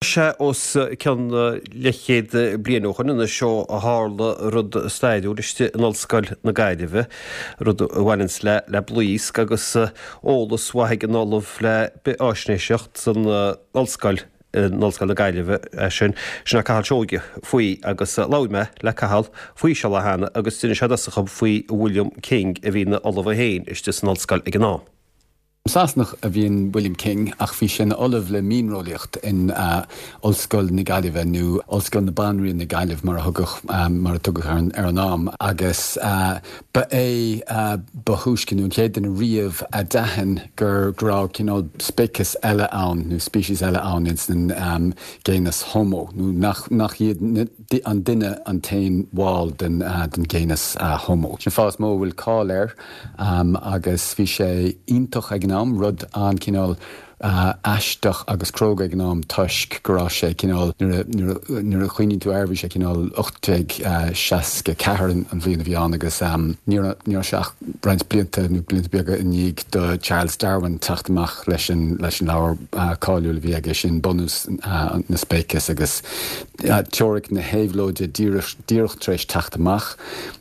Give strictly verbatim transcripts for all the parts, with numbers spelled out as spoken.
Sé os cionn leathchéad bliain ó shin anois ó tharla rud stairiúil istigh in Ollscoil na Gaillimhe, rud a bhaineanns le le blaosc agus eolas mhaith ag an Ollamh le Bithfháisnéiseacht san Ollscoil in Ollscoil na Gaillimhe é sin, sin é Cathal Seoige faoi agus labhair mé le Cathal faoi seo lá cheana agus d'inis sé domhsa faoi William King a bhí ina ollamh é féin istigh san ollscoil ag an am. Sasanach a bhí in William King ach bhí sé ina ollamh le mianreolaíocht in uh, Ollscoil na Gaillimhe nó Ollscoil na Banríon na Gaillimh mar a thugadh um, mar a tugadh ar, ar an am agus uh, ba é uh, ba thúisce nó an chéad duine riamh a d'aithin gur go raibh cineál speiceas eile ann nó species eile ann in san um, genus Homo nó nach, nach iad an duine an t-aon bhall den, uh, den genus uh, Homo. Sin fáth mó bhfuil cáil air um, agus bhí sé iontach ag an am rud an cineál uh, aisteach agus cróga ag an am toisc go raibh sé cineál nuair a chuimhníonn tú air bhí sé cineál ocht déag seasca ceathair an bhliain a bhí ann agus um, ní raibh sé ach roinnt blianta nó blianta beaga i ndiaidh do Charles Darwin teacht amach leis an leis an leabhar uh, cáiliúil a bhí aige sin Bunús uh, na Speiceas agus uh, teoiric na héabhlóide díreach tar éis teacht amach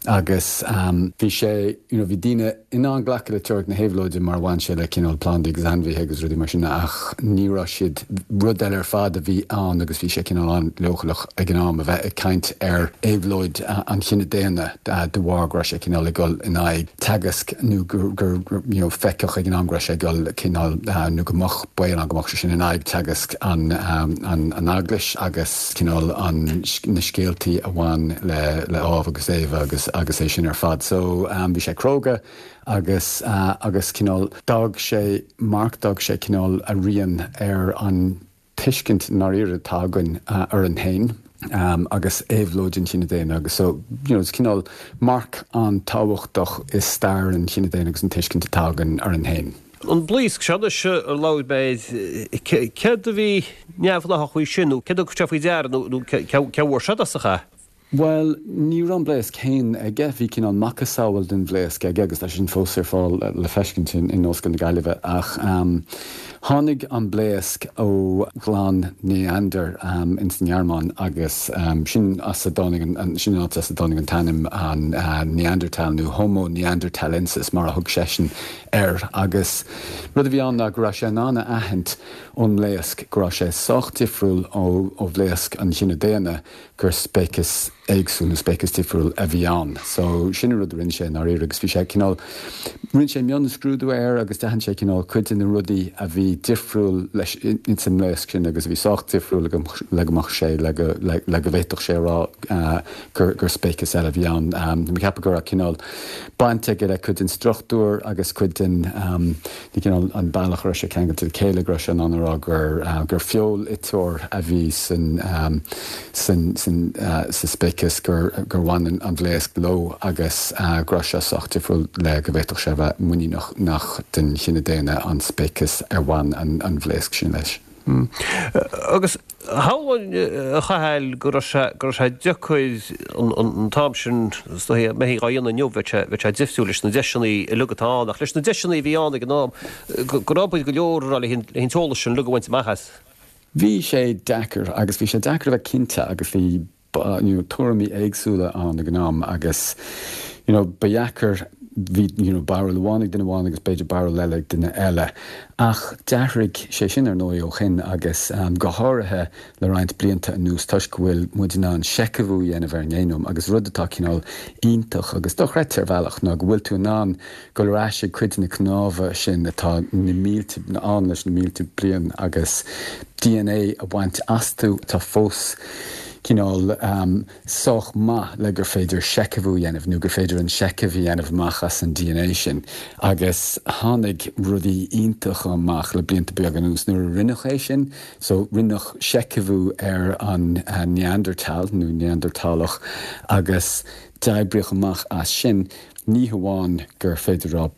agus um, bhí sé you know, bhí daoine in ann glacadh le teoiric na héabhlóide mar bhain sé le cineál plandaí agus ainmhithe agus rudaí mar sin ach ní raibh siad rud eile ar fad a bhí ann agus bhí sé cineál an-leochaileach ag an am a bheith ag caint ar éabhlóid an chine daonna de bharr go raibh sé cineál ag dul in aghaidh teagasc nó gur gur you know, feiceadh ag an am go raibh sé ag dul cineál nó go mbeadh baol ann go mbeadh sé sin in aghaidh teagasc an, an, an eaglais agus cineál an na scéaltaí a bhain le le Ádhamh agus Éabha agus agus é sin ar fad. So um, bhí sé cróga agus uh, agus cineál d'fhág sé marc d'fhág sé cineál a rian ar an tuiscint ndáiríre atá againn uh, orainn féin. Um, agus éabhlóid an chine daonna agus so you know, cineál marc an-tábhachtach i stair an chine daonna agus an tuiscint atá againn orainn féin. An blaosc seo a labhair mé céard a bhí neamhghnách faoi sin nó céard a thug sé faoi deara nó cé bhfuair sé as? Well, ní raibh an bhlaosc féin aige bhí cineál macasamhail den bhlaosc aige agus tá sin fós ar fáil le feiscint in in Ollscoil na Gaillimhe ach um, tháinig an blaosc ó chlann Neander um, in san Ghearmáin agus um, sin as a dtáinig an sin as a dtáinig an t-ainm an uh, Neanderthal nó Homo neanderthalensis mar a thug seisean air agus rud a bhí ann ná go raibh sé in ann a aithint ón mblaosc go raibh sé sách difriúil ó ó bhlaosc an chine daonna gur speiceas éagsúil nó speiceas difriúil a bhí ann. So sin rud rinne sé ar agus bhí sé cineál rinne sé mionscrúdú air agus d'aithin sé cineál cuid de na rudaí a bhí difriúil leis in san mblaosc sin agus bhí sách difriúil le go mbeadh sé le le go bhféadfadh sé rá uh, gur gur speiceas eile bhí ann. Um, ceapaim go raibh cineál baint aige le cuid den struchtúr agus cuid den um, cineál an bealach a raibh sé ceangailte le chéile go raibh sé in ann a rá gur uh, gur feoil-iteoir a bhí san um, san san uh, sa speiceas gur gur bhain an bhlaosc leo agus uh, go raibh sé sách difriúil le go bhféadfadh sé bheith muiníneach nach den chine daonna an speiceas ar bhain an, an bhlaosc sin leis. Mm. Agus shamhlóinn a Chathail go raibh sé go raibh sé deacair an t-am sin mé á dhéanamh inniu bheadh sé bheadh sé difriúil leis na deiseanna uilig atá ann ach leis na deiseanna a bhí ann ag an am go raibh go leor le an t-eolas sin uilig a bhaint amach as. Bhí sé deacair agus bhí sé deacair a bheith cinnte agus bhí you know, tuairimí éagsúla ann ag an am agus you know, ba dheacair bhí you know, barúil amháin ag duine amháin agus b'fhéidir barúil eile ag duine eile. Ach d'athraigh sé sin ar ndóigh ó shin agus um, go háirithe le roinnt blianta anuas toisc go bhfuil muid in ann seicheamhú a dhéanamh ar an ngéanóm agus rud atá cineál iontach agus dochreidte ar bhealach ná go bhfuil tú in ann dul ar ais ag cuid na cnámha sin atá na mílte ann leis na mílte bliain agus D N A a bhaint astu atá fós cineál um, sách maith le gur féidir seicheamhú a dhéanamh nó gur féidir an seicheamh a dhéanamh amach as an D N A sin. Agus tháinig rudaí iontacha amach le blianta beaga anuas nuair a rinneadh é sin, so rinneadh seicheamhú ar an uh, Neanderthal nó Neanderthalach agus d'oibríodh amach as sin Ní hamháin gur féidir rá,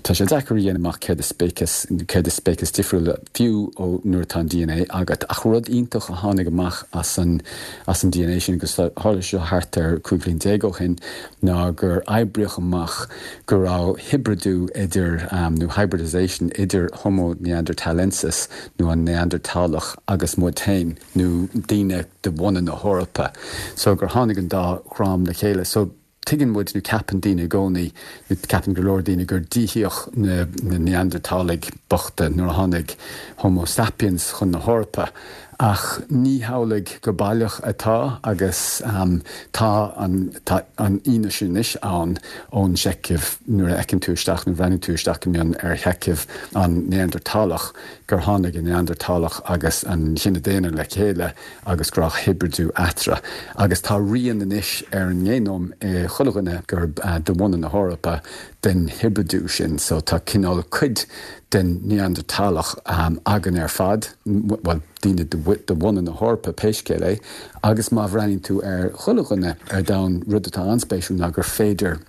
tá sé deacair a dhéanamh amach céard is speiceas, céard is speiceas difriúla fiú ó nuair atá an D N A agat. Ach rud iontach a tháinig amach as an as an D N A sin, agus tharla seo thart ar cúig bhliain déag ó shin, ná gur oibríodh amach go raibh hibridiú idir, nó hybridization idir Homo neanderthalensis nó an Neanderthalach agus muid féin, nó daoine de bhunadh na hEorpa. So gur tháinig an dá dhream le chéile. So tuigeann muid nó ceapann daoine i gcónaí, nó ceapann go leor daoine gur díothaíodh na Neanderthalaigh bochta nuair a tháinig Homo sapiens chun na hEorpa. Ach ní hamhlaidh go baileach atá agus tá an tá an fhianaise anois ann ón seicheamh nuair a fheiceann tú isteach nó bhreathnaíonn tú isteach go mion ar sheicheamh an Neanderthalach gur tháinig an Neanderthalach agus an chine daonna le chéile agus go raibh hibridiú eatarthu. Agus tá rian anois ar an ngéanóm i chuile dhuine gur de bhunadh na hEorpa den hibridiú sin, so tá cineál cuid den Neanderthalach againn ar fad, bhuel, daoine de bhunadh na hEorpa pé scéal é, agus má bhreathnaíonn tú ar chuile dhuine ar domhan, rud atá an-spéisiúil ná gur féidir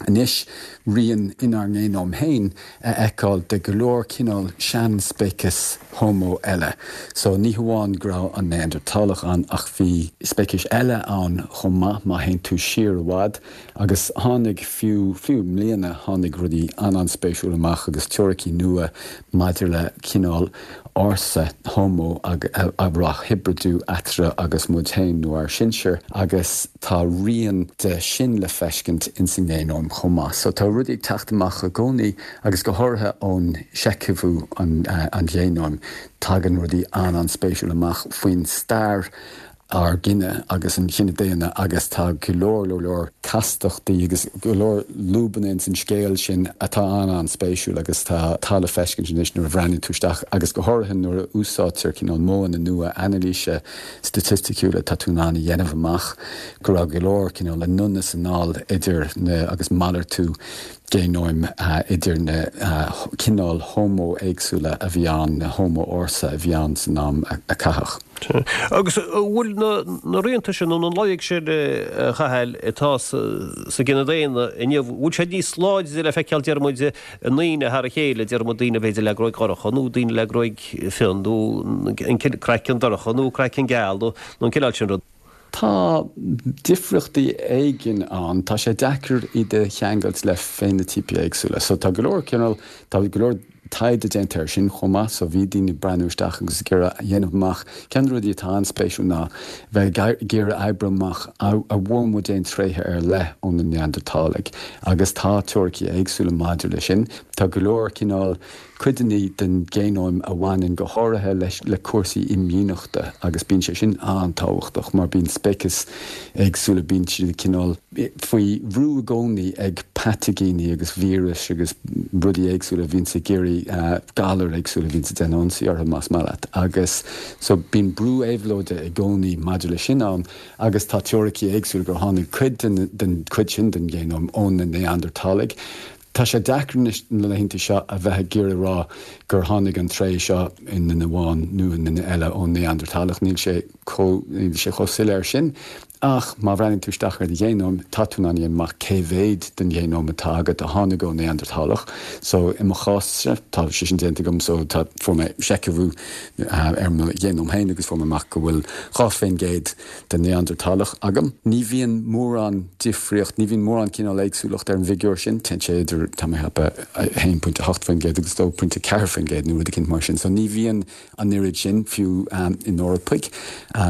anois rian inár ngéanóm féin a fheiceáil de go leor cineál seanspeiceas Homo eile. So ní hamháin go raibh an Neanderthalach ann ach bhí speicis eile ann chomh maith má théann tú siar i bhfad agus tháinig fiú, fiú i mbliana tháinig rudaí an-an-spéisiúil amach agus teoiricí nua maidir le cineál ársa Homo a raibh hibridiú eatarthu agus muid féin nó ár sinsir agus tá rian de sin le feiscint ins an ngéanóm chomh maith. So tá rudaí ag teacht amach i gcónaí agus go háirithe ón seicheamhú an an ghéanóim tagann rudaí an-an-spéisiúil amach faoin stair ár gcine agus an chine daonna agus tá go leor leor leor castachtaí agus go leor lúbanna ins an scéal sin atá an-an-spéisiúil agus tá tá le feiscint anois nuair a bhreathnaíonn tú isteach agus go háirithe nuair a úsáidtear cineál modhanna nua anailíse staitisticiúla tá tú in ann a dhéanamh amach go raibh go leor cineál anonn is anall idir na agus malartú géanóim idir na cineáil Homo éagsúla a bhí ann, na Homo ársa a bhí ann san am a caitheadh. Agus an bhfuil na rianta sin nó na loighic sin, a Chathail, atá sa gcine daonna inniu, bhfuil sé níos láidre le feiceáil, deir muid, i ndaoine thar a chéile, deir muid daoine b'fhéidir le gruaig dhorcha nó daoine le gruaig fionn nó an craiceann dorcha nó craiceann geal nó an cineál sin rud? Tá difríochtaí éigin ann, tá sé deacair iad a cheangailt le féinitíopaí éagsúla. So tá go leor cineál, tá go leor taighde déanta air sin chomh maith, so bhí daoine ag breathnú isteach agus ag iarraidh a dhéanamh amach. Ceann de na rudaí atá an-spéisiúil ná bheith ag iarraidh oibriú amach an bhfuair muid aon tréithe ar leith ó na Neanderthalaigh agus tá teoiricí éagsúla maidir leis sin. Tá go leor cineál codanna den ghéanóm a bhaineann go háirithe leis le cúrsaí imdhíonachta agus bíonn sé sin an-tábhachtach mar bíonn speicis éagsúla, bíonn siad cineál faoi bhrú i gcónaí ag pataiginí agus víris agus rudaí éagsúla a bhíonns ag iarraidh galair éagsúla a bhíonns ag déanamh ionsaí orthu más maith leat agus so bíonn brú éabhlóide i gcónaí maidir leis sin ann agus tá teoiricí éagsúla gur tháinig cuid den den chuid sin den ghéanóm ó na Neanderthalaigh. Tá sé deacair anois na laethanta seo a bheith ag iarraidh a rá gur tháinig an tréith seo i nduine amháin nó i nduine eile ón Neanderthalach. Níl sé chomh, níl sé chomh soiléir sin. Ach má bhreathnaíonn tú isteach ar do ghéanóm, tá tú in ann a dhéanamh amach cé mhéad den ghéanóm atá agat a tháinig ón Neanderthalach. So, i mo chás-sa, tá sé sin déanta agam, so tá, fuair mé seicheamhú ar mo ghéanóm féin agus fuair mé amach go bhfuil dhá faoin gcéad den Neanderthalach agam. Ní bhíonn mórán difríocht, ní bhíonn mórán cineál éagsúlacht ar an bhfigiúr sin, téann sé idir, tá mé ag ceapadh, a haon pointe a hocht faoin gcéad agus dó pointe ceathair faoin gcéad nó rud eicínt mar sin. So ní bhíonn an oiread sin, fiú in Eorpaigh,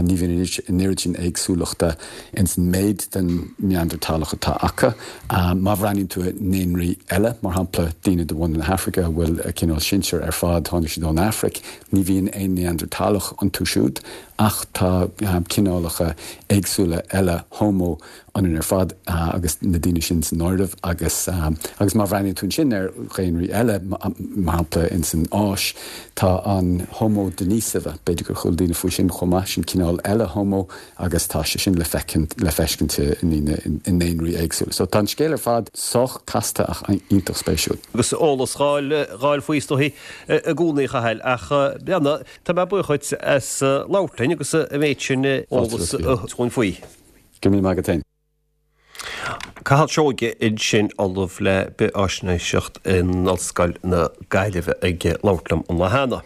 ní bhíonn an oiread sin éagsúlachta ins an méid den Neanderthalach atá acu. Má bhreathnaíonn tú i ndaonraí eile, mar shampla daoine de bhunadh na hAfraice a bhfuil a gcineál sinsir ar fad, tháinig siad ón Afraic, ní bhíonn aon Neanderthalach iontu siúd. Ach tá cineálacha éagsúla eile Homo ionainn ar fad, agus na daoine sin san áireamh, agus agus má bhreathnaíonn tú ansin ar dhaonraí eile, mar shampla ins an Áis, tá an Homo denisova, b'fhéidir gur chuala daoine faoi sin chomh maith, sin cineál eile Homo agus tá sé sin le feicint, le feiscint i ndaoine, i ndaonraí éagsúla. So tá an scéal ar fad sách casta ach iontach spéisiúil. Agus eolas dhá fháil faoi is dóichí i gcónaí, a Chathail, ach Tá mé buíoch dhuit as labhairt linn agus an méid sin eolas a thabhairt dúinn faoi. Go raibh míle maith agat féin. Cathal Seoige ansin, Ollamh le Bithfháisnéiseacht in Ollscoil na Gaillimhe ag labhairt liom an lá cheana.